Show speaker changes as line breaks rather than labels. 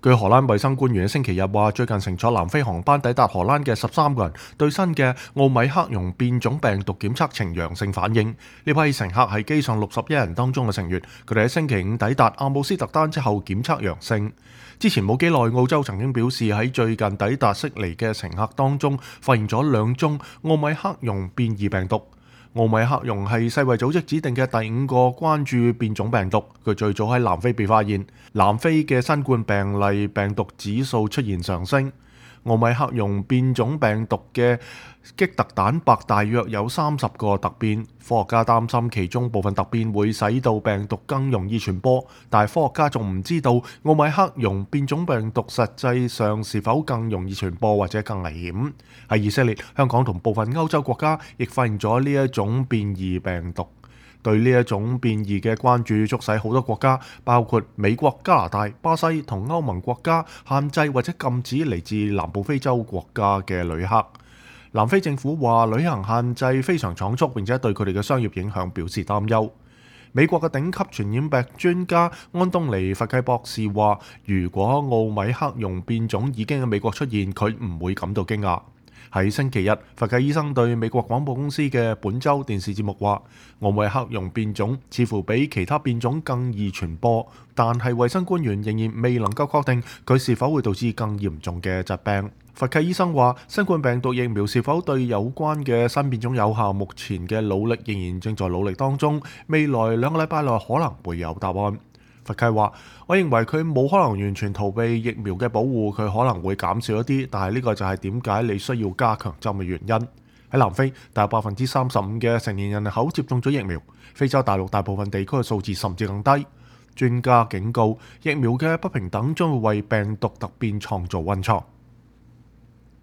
據荷蘭衛生官員喺星期日話，最近乘坐南非航班抵達荷蘭嘅13個人對新嘅奧米克戎變種病毒檢測呈陽性反應。呢批乘客係機上61人當中嘅成員，佢哋喺星期五抵達阿姆斯特丹之後檢測陽性。之前冇幾耐，澳洲曾經表示喺最近抵達悉尼嘅乘客當中發現咗2宗奧米克戎變異病毒。奧米克戎係世衛組織指定嘅第5個關注變種病毒，佢最早喺南非被發現。南非嘅新冠病例病毒指數出現上升。奧米克戎變種病毒嘅棘突蛋白大約有30個突變，科學家擔心其中部分突變會使到病毒更容易傳播，但係科學家仲唔知道奧米克戎變種病毒實際上是否更容易傳播或者更危險。喺以色列、香港同部分歐洲國家亦發現咗呢一種變異病毒。對呢一種變異嘅關注促使好多國家，包括美國、加拿大、巴西同歐盟國家，限制或者禁止嚟自南部非洲國家嘅旅客。南非政府話旅行限制非常倉促，並且對佢哋嘅商業影響表示擔憂。美國嘅頂級傳染病專家安東尼·佛契博士話，如果奧米克戎變種已經喺美國出現，佢唔會感到驚訝。喺星期日，佛契醫生對美國廣播公司嘅本週電視節目話，奧米克戎變種似乎比其他變種更易傳播，但係衛生官員仍然未能夠確定佢是否會導致更嚴重嘅疾病。佛契醫生話，新冠病毒疫苗是否對有關嘅新變種有效，目前嘅努力仍然正在努力當中，未來2個禮拜內可能會有答案。佛契話，我認為佢冇可能完全逃避疫苗嘅保護，佢可能會減少一啲，但係呢個就係點解你需要加強針嘅原因。喺南非，大約35%嘅成年人口接種咗疫苗，非洲大陸大部分地區嘅數字甚至更低。專家警告，疫苗嘅不平等將會為病毒突變創造溫床。